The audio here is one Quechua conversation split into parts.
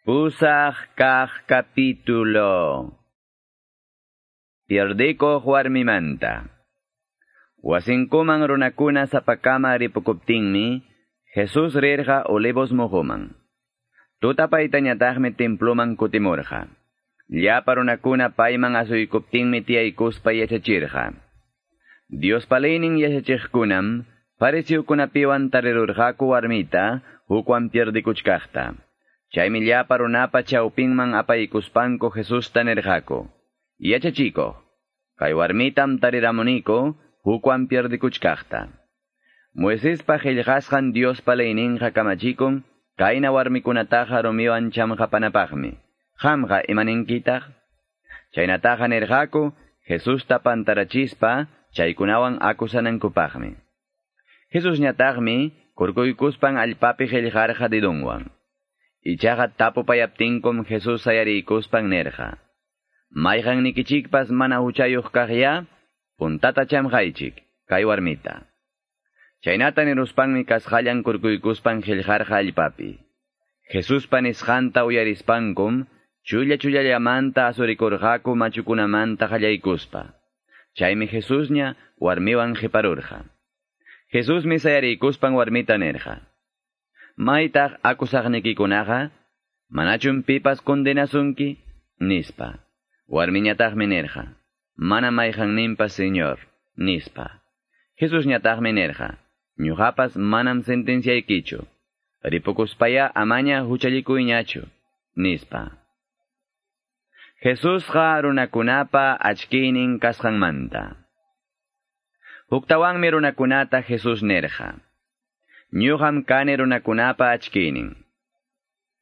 Pusaq kaq capítulo. Pierdikuq warmimanta. Wasinkuman runakuna sapakama ripukuptinmi, Jesús rirqa Olivos muhuman. Tutapaytañataqmi temploman kutimurqa. Llapa runakuna payman asuykuptinmi tiyaykuspa yachachirqa. Diospa leynin yachachiqkunam, fariseokunapiwan tarirurqaku warmita, hukwan pierdikuchkaqta. Chaymi llapa runapa chawpinman apaykuspanku Jesusta nirqaku: "Yachachikuq, kay warmitam tariramuniku hukwan pierdikuchkaqta. Moisespa qillqasqan Diospa leyninqa kamachikun kayna warmikunataqa rumiwan chamqapanapaqmi. Qamqa imaninkitaq?" Chaynataqa nirqaku Jesusta pantarachispa chaykunawan akusanankupaqmi. Jesusñataqmi kurkuykuspan allpapi qillqarqa dedonwan. Ichaqa tapupayaptinkum Jesús sayariykuspan nirqa: "Mayqannikichikpas mana huchayuq kaqya, puntata chamqaychik kay warmita." Chaynata niruspanmi kasqallan kurkuykuspan qillqarqa allpapi. Jesuspa nisqanta uyarispankum chulla chullallamanta asurikurqaku machukunamanta qallaykuspa. Chaymi Jesusña warmiwan qiparurqa. Jesusmi sayariykuspan warmita nirqa: "Maytaq akusaqnikikunaqa, manachum pipas condenasunki?" nispa. Warmiñataqmi nirqa: "Mana mayqanninpas, Señor", nispa. Jesusñataqmi nirqa: "Ñuqapas manam sentenciaykichu. Ripukuspaya amaña huchallikuyñachu", nispa. Jesusqa runakunapa achkiynin kasqanmanta. Huktawanmi runakunata Jesús nirqa: "Ñuqam kani runakunapa achkiynin.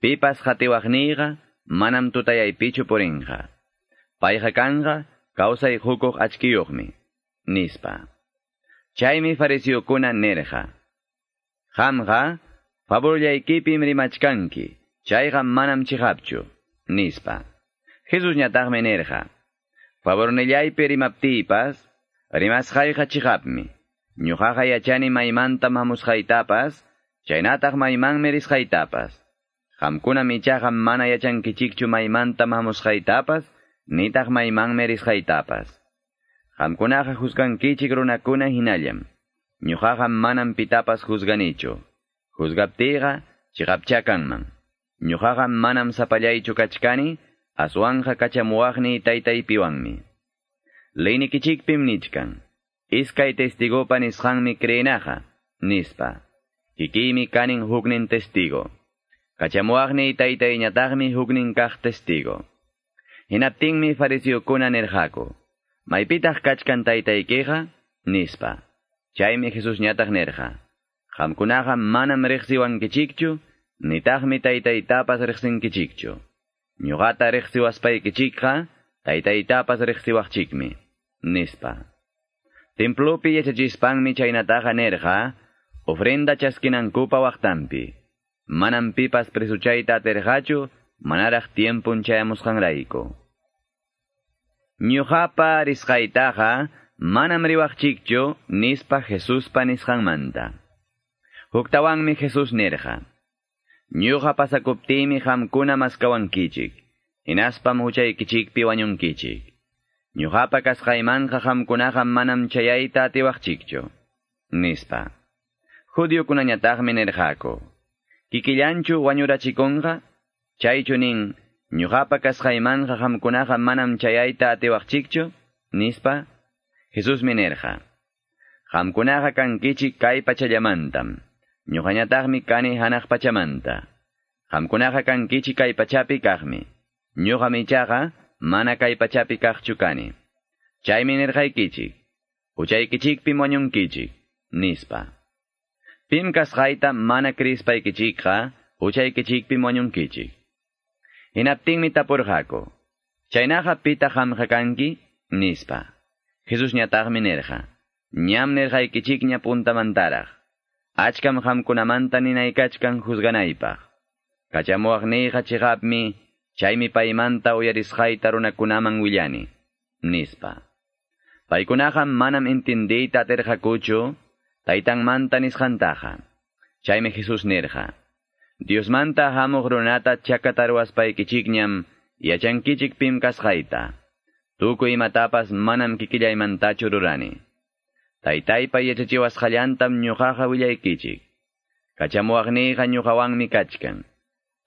Pipas qatiwaqniyqa manam tutayaypichu purinqa. Payqa kanqa kawsay hukuq achkiyuqmi", nispa. Chaymi fariseokuna nirqa: "Qamqa favorllaykipim rimachkanki, chayqa manam chiqapchu", nispa. Jesusñataqmi nirqa: "Favornillaypi rimaptiypas, rimasqayqa chiqapmi. Ñuqaqa yachani maymantam hamusqaytapas, chaynataq maymanmi risqaytapas. Qamkunam ichaqa mana yachankichikchu maymantam hamusqaytapas, nitaq maymanmi risqaytapas. Qamkunaqa juzgankichik runakuna hinallam. Ñuqaqa manam pitapas juzganichu. Juzgaptiyqa chiqapcha kanman. Ñuqaqa manam sapallaychu kachkani, aswanqa kachamuwaqniy taytaypiwanmi. Leynikichikpim nichkan: Iskay testigopa nisqanmi creenaqa, nispa. Kikiymi kanin huknin testigo. Kachamuwaqniy taytayñataqmi huknin kaq testigo." Hinaptinmi fariseokuna nirqaku: "Maypitaq kachkan taytaykiqa?" nispa. Chaymi Jesusñataq nirqa: "Qamkunaqa manam riqsiwankichikchu, nitaqmi taytaytapas riqsinkichikchu. Ñuqata riqsiwaspaykichikqa taytaytapas riqsiwaqchikmi", nispa. Templopi yachachispanmi chaynataqa nirqa, ofrenda chaskinankupa waqtanpi. Manam pipas presuchayta atirqachu, manaraq tiempun chayamusqanrayku. Ñuqapa risqaytaqa manam riwaqchikchu, nispa Jesuspa nisqanmanta. Huktawanmi Jesús nirqa: "Ñuqa pasakuptiymi qamkuna maskawankichik, hinaspam huchaykichikpi wañunkichik. Ñuqapa kasqaymanqa qamkunaqa manam chayayta atiwaqchikchu", nispa. Judiokunañataqmi nirqaku: "Kikillanchu wañurachikunqa? Chaychu nin, ñuqapa kasqaymanqa qamkunaqa manam chayayta atiwaqchikchu?" nispa. Jesusmi nirqa: "Qamkunaqa kankichik kay pachallamantam, ñuqañataqmi kani hanaq pachamanta. Qamkunaqa kankichik kay pachapi kaqmi, ñuqam ichaqa mana kay pachapi kaqchu kani. Chaymi nirqaykichik, huchaykichikpim wañunkichik", nispa. Pim kasqayta mana krispaykichikqa huchaykichikpim wañunkichik. Hinaptinmi tapurqaku: "Chaynaqa pitaq qamqa kanki?" nispa. Jesusñataqmi nirqa: "Ñam nirqaykichikña puntamantaraq. Achkam qamkunamanta ninaykachkan juzganaypaq. Kachamuwaqniyqa chiqapmi, chaymi paymanta uyarisqayta runakunaman willani", nispa. Paykunaqa manam intindiyta atirqakuchu taytanmanta nisqantaqa. Chaymi Jesús nirqa: Diosmanta hamuq runata chakataruwaspaykichikñam yachankichik pim kasqayta. Tukuy imatapas manam kikillaymantachu rurani. Taytaypa yachachiwasqallantam ñuqaqa willaykichik. Kachamuwaqniyqa ñuqawanmi kachkan.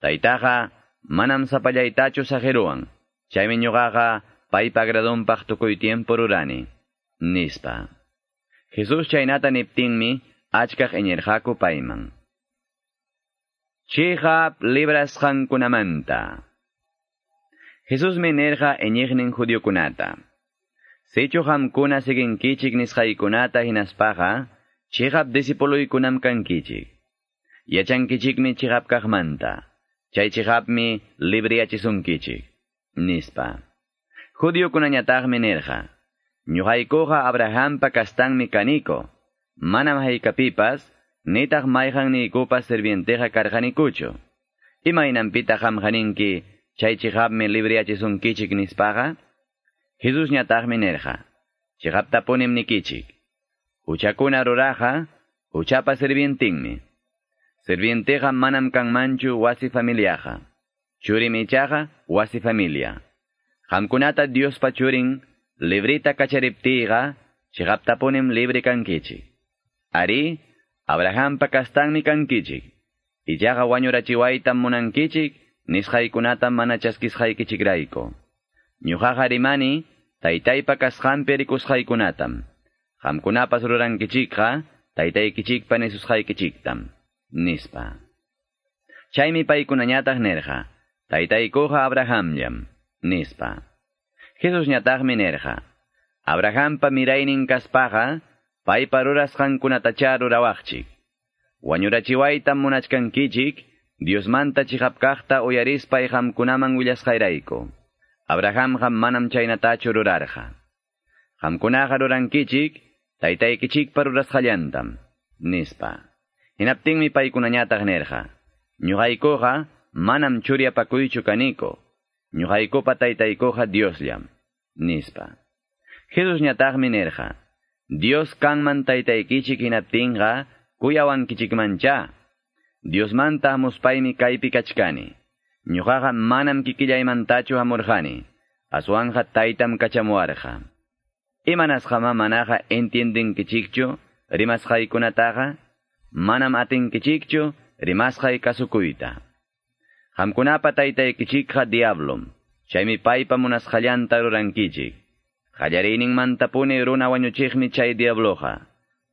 Taytaqa manam sapallaytachu saqiruwan. Chaymi ñuqaqa paypa agradonpaq tukuy tiempo rurani, nispa. Jesús chaynata niptinmi achkaq iñirqaku payman. Chiqap librasqankunamanta. Jesusmi nirqa iñiqnin judiokunata. Sichu qamkuna siginkichik nisqaykunata hinaspaqa, chiqap discipuluykunam kankichik. Yachankichikmi chiqap kaqmanta. Chay chiqapmi libriyachisunkichik, nispa. Judiokunañataqmi nirqa. Ñuqaykuqa Abrahampa kastanmi kaniko. Manam haykapipas, nitaq mayqanniykupas sirvienteqa karqanikuchu. Imaynanpitaq qamqa ninki, chay chiqapmi libriyachisunkichik nispaqa? Jesusñataqmi nirqa. Chiqaptapunim nikichik. Huchakuna ruraqa, huchapa sirvientinmi. Sirvienteqa manam kanmanchu wasi familiaqa. Churim ichaqa wasi familia. Qamkunata Diospa churin librita kachariptiqa, chiqaptapunim libre kankichik. Ari, Abrahampa kastanmi kankichik. Ichaqa wañurachiwaytam munankichik, nisqaykunatam mana chaskisqaykichikrayku. Ñuqaqa rimani, taytaypa kasqanpi rikusqaykunatam. Qamkunapas rurankichikqa, taytaykichikpa nisusqaykichiktam, nispa. Chaymi paykunañataq nirqa, taytaykuqa Abrahamllam, nispa. Jesusñataqmi nirqa, Abrahampa miraynin kaspaqa, paypa rurasqankunatacha rurawaqchik. Wañurachiwaytam munachkankichik, Diosmanta chiqap kaqta uyarispay qamkunaman willasqayrayku. Abrahamqa manam chaynatachu rurarqa. Qamkunaqa rurankichik, taytaykichikpa rurasqallantam, nispa. Hinaptinmi paykunañataq nirqa, ñuqaykuqa manam churiapakuychu kaniko, ñuqaykupa taytaykuqa Diosllam, nispa. Jesusñataqmi nirqa, Dios kanman taytaykichik hinaptinqa kuyawankichikmancha. Diosmanta hamuspaymi kaypi kachkani. Ñuqaqa manam kikillaymantachu hamurqani, aswanqa taytam kachamuwarqa. Imanasqama manaqa entiendinkichikchu rimasqaykunataqa, manam atinkichikchu rimasqay kasukuyta. Qamkunapa taytaykichikqa diablom, chaymi paypa munasqallanta rurankichik. Qallariyninmantapuni runa wañuchiqmi chay diabloqa.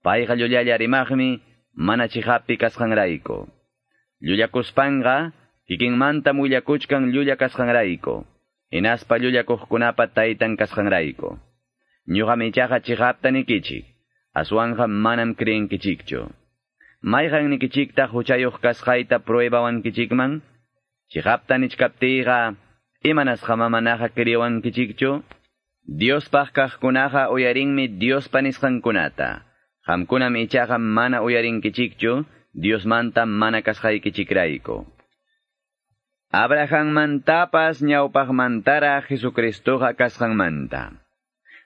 Payqa llullalla rimaqmi mana chiqappi kasqanrayku. Llullakuspanqa kikinmantam willakuchkan llulla kasqanrayku. Hinaspa llullakuqkunapa taytan kasqanrayku. Ñuqam ichaqa chiqapta nikichik, aswanqa manam creenkichikchu. Mayqan nikichiktaq huchayuq kasqayta pruebawankichikman? Chiqapta nichkaptiyqa, imanasqama manaqa creewankichikchu? Diospaq kaqkunaqa uyarinmi Diospa nisqankunata. Qamkunam ichaqa mana uyarinkichikchu, Diosmanta mana kasqaykichikrayku. Abrahammantapas ñawpaqmantara Jesucristoqa kasqanmanta.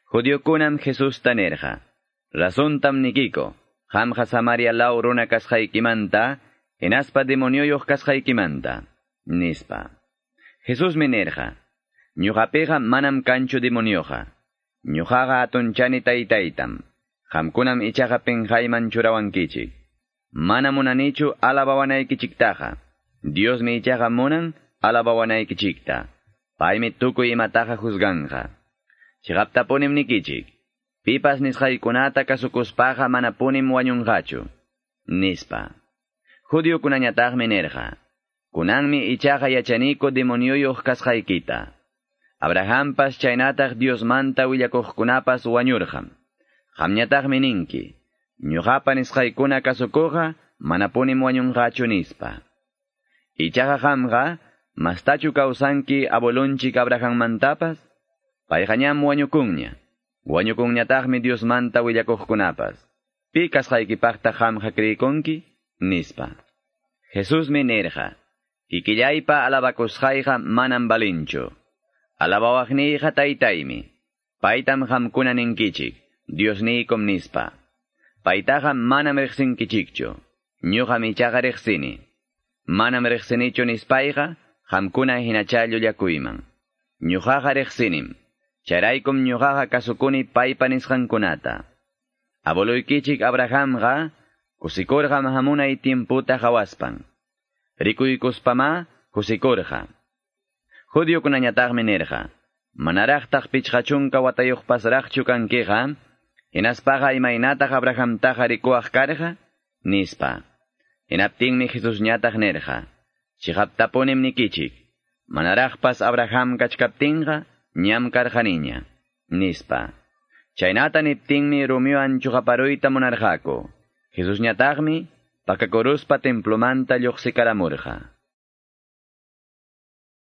Judiokunam Jesusta nirqa, razontam nikiko, qamqa Samaria law runa kasqaykimanta, hinaspa demonioyuq kasqaykimanta, nispa. Jesusmi nirqa, ñuqapiqa manam kanchu demonioqa. Ñuqaqa atunchani taytaytam. Qamkunam ichaqa pinqayman churawankichik. Mana munanichu alabawanaykichiktaqa. Diosmi ichaqa munan alabawanaykichikta. Paymi tukuy imataqa juzganqa. Chiqaptapunim nikichik. Pipas nisqaykunata kasukuspaqa manapunim wañunqachu, nispa. Judiokunañataqmi nirqa, kunanmi ichaqa yachaniku demonioyuq kasqaykita. Abrahampas chaynataq Diosmanta willakuqkunapas wañurqam. Qamñataqmi ninki, ñuqapa nisqaykuna kasukuqqa manapunim wañunqachu nispa. Ichaqa qamqa, mastachu kawsanki abuelunchik Abrahammantapas? Payqa ñam wañukunña. Wañukunñataqmi Diosmanta willakuqkunapas. Pi kasqaykipaqta qamqa creekunki? Nispa. Jesusmi nirqa, kikillaypa alabakusqayqa manam balinchu. Alabawaqniyqa taytaymi. Paytam qamkuna ninkichik, Diosniykum nispa. Paytaqa manam riqsinkichikchu. Ñuqam ichaqa riqsini. Manam riqsinichu nispayqa, qamkuna hinacha llullakuyman. Ñuqaqa riqsinim. Chayraykum ñuqaqa kasukuni paypa nisqankunata. Abueluykichik Abrahamqa kusikurqa hamunay tiemputa qawaspan. Rikuykuspamá kusikurqa. Judiokunañataqmi nirqa, manaraqtaq 50 watayuqpasraqchu kankiqa, hinaspaqa imaynataq Abrahamtaqa rikuwaq karqa, nispa. Hinaptinmi Jesusñataq nirqa, chiqaptapunim nikichik, manaraqpas Abraham kachkaptinqa, ñam karqaniña, nispa. Chaynata niptinmi rumiwan chuqaparuyta munarqaku. Jesusñataqmi pakakuruspa templomanta lluqsikaramurqa.